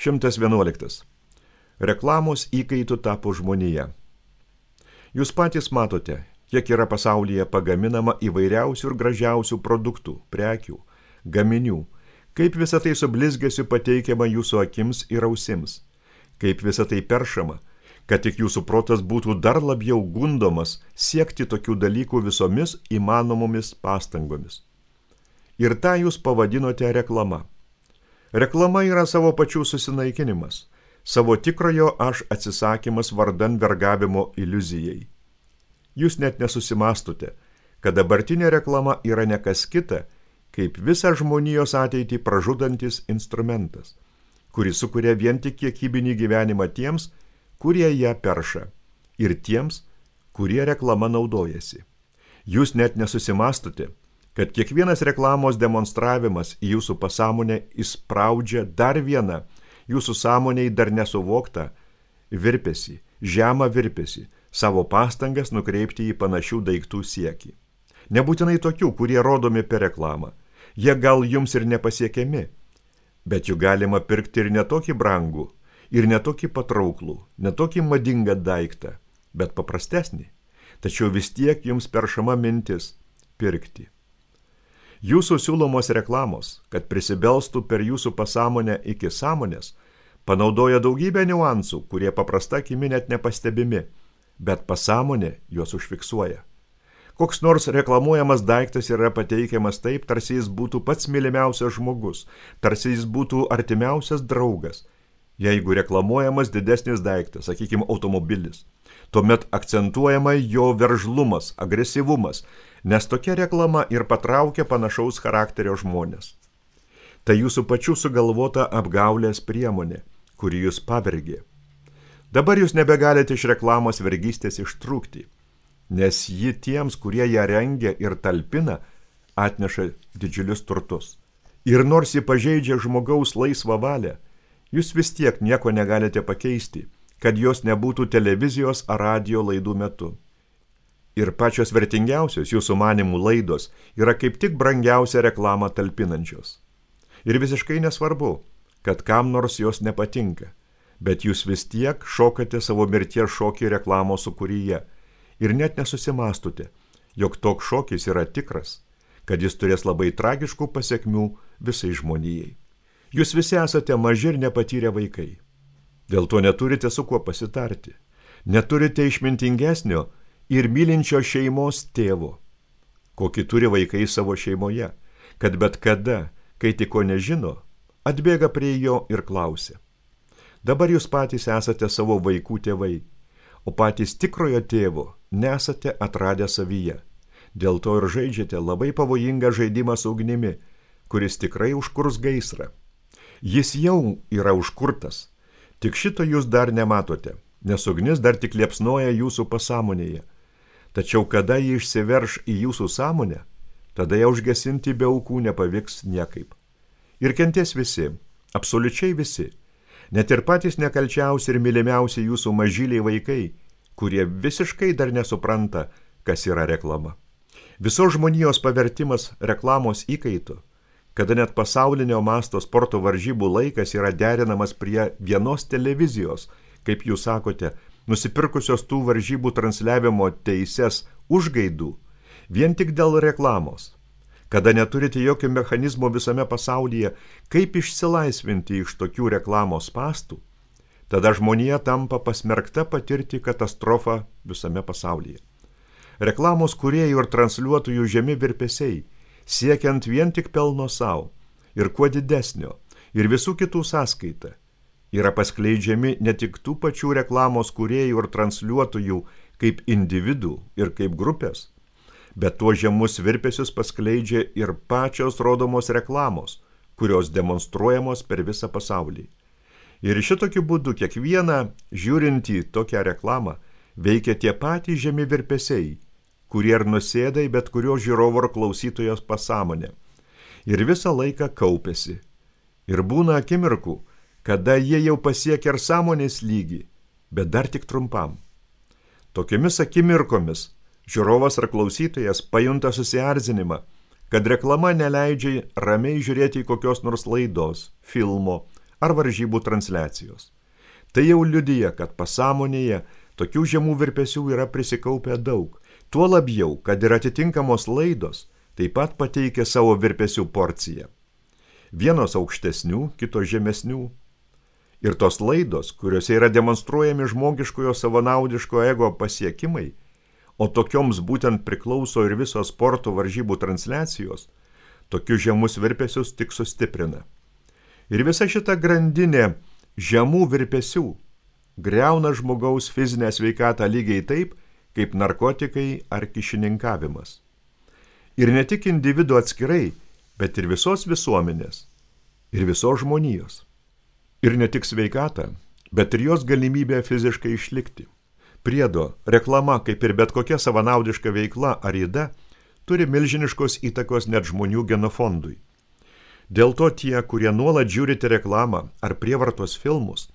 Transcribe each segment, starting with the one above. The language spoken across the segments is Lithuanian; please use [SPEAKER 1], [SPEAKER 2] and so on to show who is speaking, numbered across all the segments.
[SPEAKER 1] 111. Reklamos įkaitų tapo žmonija. Jūs patys matote, kiek yra pasaulyje pagaminama įvairiausių ir gražiausių produktų, prekių, gaminių, kaip visa tai su blizgesiu pateikiama jūsų akims ir ausims, kaip visa tai peršama, kad tik jūsų protas būtų dar labiau gundomas siekti tokių dalykų visomis įmanomomis pastangomis. Ir tą jūs pavadinote reklama. Reklama yra savo pačių susinaikinimas, savo tikrojo aš atsisakymas vardan vergavimo iliuzijai. Jūs net nesusimastote, kad dabartinė reklama yra ne kas kita, kaip visą žmonijos ateitį pražudantis instrumentas, kuris sukuria vien tik kiekybinį gyvenimą tiems, kurie ją perša, ir tiems, kurie reklama naudojasi. Jūs net nesusimastote, kad kiekvienas reklamos demonstravimas į jūsų pasąmonę įspraudžia dar vieną jūsų sąmonėj dar nesuvoktą virpesį, žemą virpesį, savo pastangas nukreipti į panašių daiktų siekį. Nebūtinai tokių, kurie rodomi per reklamą. Jie gal jums ir nepasiekiami, bet jų galima pirkti ir netokį brangų, ir netokį patrauklų, netokį madingą daiktą, bet paprastesnį. Tačiau vis tiek jums peršama mintis pirkti. Jūsų siūlomos reklamos, kad prisibelstų per jūsų pasąmonę iki sąmonės, panaudoja daugybę niuansų, kurie paprasta akimi net nepastebimi, bet pasąmonė juos užfiksuoja. Koks nors reklamuojamas daiktas yra pateikiamas taip, tarsi jis būtų pats mylimiausias žmogus, tarsi jis būtų artimiausias draugas. Jeigu reklamuojamas didesnis daiktas, sakykime, automobilis, tuomet akcentuojama jo veržlumas, agresyvumas, nes tokia reklama ir patraukia panašaus charakterio žmonės. Tai jūsų pačių sugalvota apgaulės priemonė, kuri jūs pavergė. Dabar jūs nebegalite iš reklamos vergystės ištrūkti, nes ji tiems, kurie ją rengia ir talpina, atneša didžiulius turtus. Ir nors ji pažeidžia žmogaus laisvą valią, jūs vis tiek nieko negalite pakeisti, kad jos nebūtų televizijos ar radijo laidų metu. Ir pačios vertingiausios jūsų manimų laidos yra kaip tik brangiausia reklamą talpinančios. Ir visiškai nesvarbu, kad kam nors jos nepatinka, bet jūs vis tiek šokate savo mirties šokį reklamos sukūryje ir net nesusimastote, jog toks šokis yra tikras, kad jis turės labai tragiškų pasekmių visai žmonijai. Jūs visi esate maži ir nepatyrę vaikai. Dėl to neturite su kuo pasitarti. Neturite išmintingesnio ir mylinčio šeimos tėvo, kokį turi vaikai savo šeimoje, kad bet kada, kai tik ko nežino, atbėga prie jo ir klausia. Dabar jūs patys esate savo vaikų tėvai, o patys tikrojo tėvo nesate atradę savyje. Dėl to ir žaidžiate labai pavojingą žaidimą su ugnimi, kuris tikrai užkurs gaisrą. Jis jau yra užkurtas, tik šito jūs dar nematote, nes ugnis dar tik liepsnoja jūsų pasąmonėje. Tačiau kada ji išsiverš į jūsų sąmonę, tada ją užgesinti be aukų nepavyks niekaip. Ir kentės visi, absoliučiai visi, net ir patys nekalčiausi ir mylimiausi jūsų mažyliai vaikai, kurie visiškai dar nesupranta, kas yra reklama. Visos žmonijos pavertimas reklamos įkaitu, kada net pasaulinio masto sporto varžybų laikas yra derinamas prie vienos televizijos, kaip jūs sakote, nusipirkusios tų varžybų transliavimo teises užgaidų, vien tik dėl reklamos. Kada neturite jokio mechanizmo visame pasaulyje, kaip išsilaisvinti iš tokių reklamos spąstų, tada žmonija tampa pasmerkta patirti katastrofą visame pasaulyje. Reklamos kūrėjų ir transliuotojų žemi virpesiai, siekiant vien tik pelno savo ir kuo didesnio ir visų kitų sąskaita, yra paskleidžiami ne tik tų pačių reklamos kūrėjų ir transliuotojų kaip individų ir kaip grupės, bet tuo žemus virpesius paskleidžia ir pačios rodomos reklamos, kurios demonstruojamos per visą pasaulį. Ir šitokiu būdu kiekvieną žiūrintį tokią reklamą veikia tie patys žemi virpesiai, kurie ir nusėda į bet kurio žiūrovo ar klausytojos pasąmonę. Ir visą laiką kaupiasi. Ir būna akimirkų, kada jie jau pasiekia ir sąmonės lygį, bet dar tik trumpam. Tokiomis akimirkomis žiūrovas ar klausytojas pajunta susierzinimą, kad reklama neleidžia ramiai žiūrėti į kokios nors laidos, filmo ar varžybų transliacijos. Tai jau liudija, kad pasąmonėje tokių žemų virpesių yra prisikaupę daug. Tuo labiau, kad ir atitinkamos laidos taip pat pateikia savo virpesių porciją. Vienos aukštesnių, kitos žemesnių. Ir tos laidos, kuriuose yra demonstruojami žmogiškojo savanaudiško ego pasiekimai, o tokioms būtent priklauso ir visos sporto varžybų transliacijos, tokius žemus virpesius tik sustiprina. Ir visa šita grandinė žemų virpesių griauna žmogaus fizinę sveikatą lygiai taip, kaip narkotikai ar kyšininkavimas. Ir ne tik individo atskirai, bet ir visos visuomenės, ir visos žmonijos. Ir ne tik sveikatą, bet ir jos galimybę fiziškai išlikti. Priedo, reklama, kaip ir bet kokia savanaudiška veikla ar ida, turi milžiniškos įtakos net žmonių genofondui. Dėl to tie, kurie nuolat žiūrite reklamą ar prievartos filmus,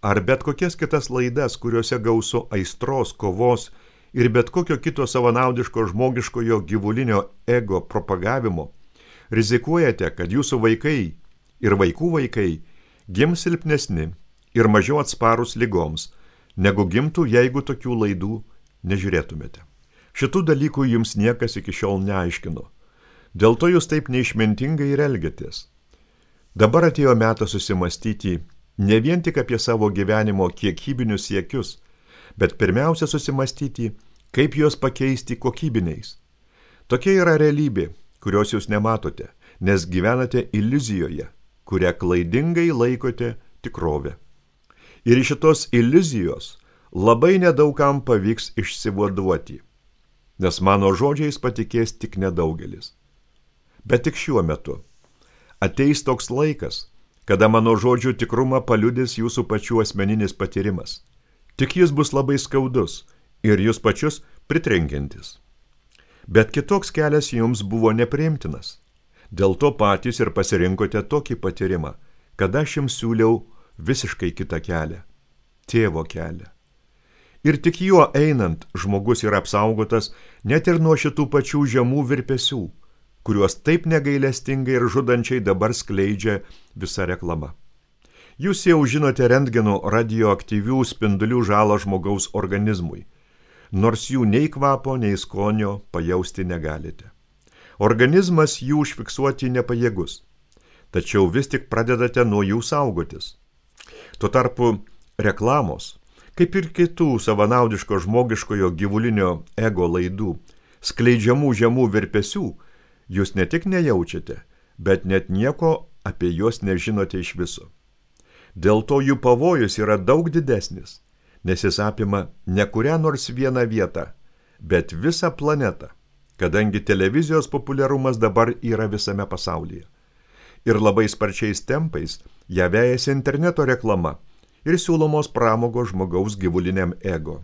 [SPEAKER 1] ar bet kokias kitas laidas, kuriuose gausu aistros, kovos ir bet kokio kito savanaudiško žmogiškojo gyvulinio ego propagavimo, rizikuojate, kad jūsų vaikai ir vaikų vaikai gims silpnesni ir mažiau atsparūs ligoms, negu gimtų, jeigu tokių laidų nežiūrėtumėte. Šitų dalykų jums niekas iki šiol neaiškino. Dėl to jūs taip neišmintingai ir elgiatės. Dabar atėjo metas susimastyti ne vien tik apie savo gyvenimo kiekybinius siekius, bet pirmiausia susimastyti, kaip juos pakeisti kokybiniais. Tokia yra realybė, kurios jūs nematote, nes gyvenate iliuzijoje, kurią klaidingai laikote tikrovę. Ir iš šitos iliuzijos labai nedaugam pavyks išsivaduoti, nes mano žodžiais patikės tik nedaugelis. Bet tik šiuo metu ateis toks laikas, kada mano žodžių tikrumą paliudys jūsų pačių asmeninis patyrimas. Tik jis bus labai skaudus ir jūs pačius pritrenkiantis. Bet kitoks kelias jums buvo nepriimtinas. Dėl to patys ir pasirinkote tokį patyrimą, kad aš jums siūliau visiškai kitą kelią – tėvo kelią. Ir tik juo einant žmogus yra apsaugotas net ir nuo šitų pačių žemų virpesių, kuriuos taip negailestingai ir žudančiai dabar skleidžia visa reklama. Jūs jau žinote rentgeno radioaktyvių spindulių žalą žmogaus organizmui, nors jų nei kvapo, nei skonio pajausti negalite. Organizmas jų užfiksuoti nepajėgus, tačiau vis tik pradedate nuo jų saugotis. Tuo tarpu reklamos, kaip ir kitų savanaudiško žmogiškojo gyvulinio ego laidų, skleidžiamų žemų virpesių, jūs ne tik nejaučiate, bet net nieko apie juos nežinote iš viso. Dėl to jų pavojus yra daug didesnis, nes jis apima ne kurią nors vieną vietą, bet visą planetą, kadangi televizijos populiarumas dabar yra visame pasaulyje. Ir labai sparčiais tempais ją vejasi interneto reklama ir siūlomos pramogos žmogaus gyvuliniam ego.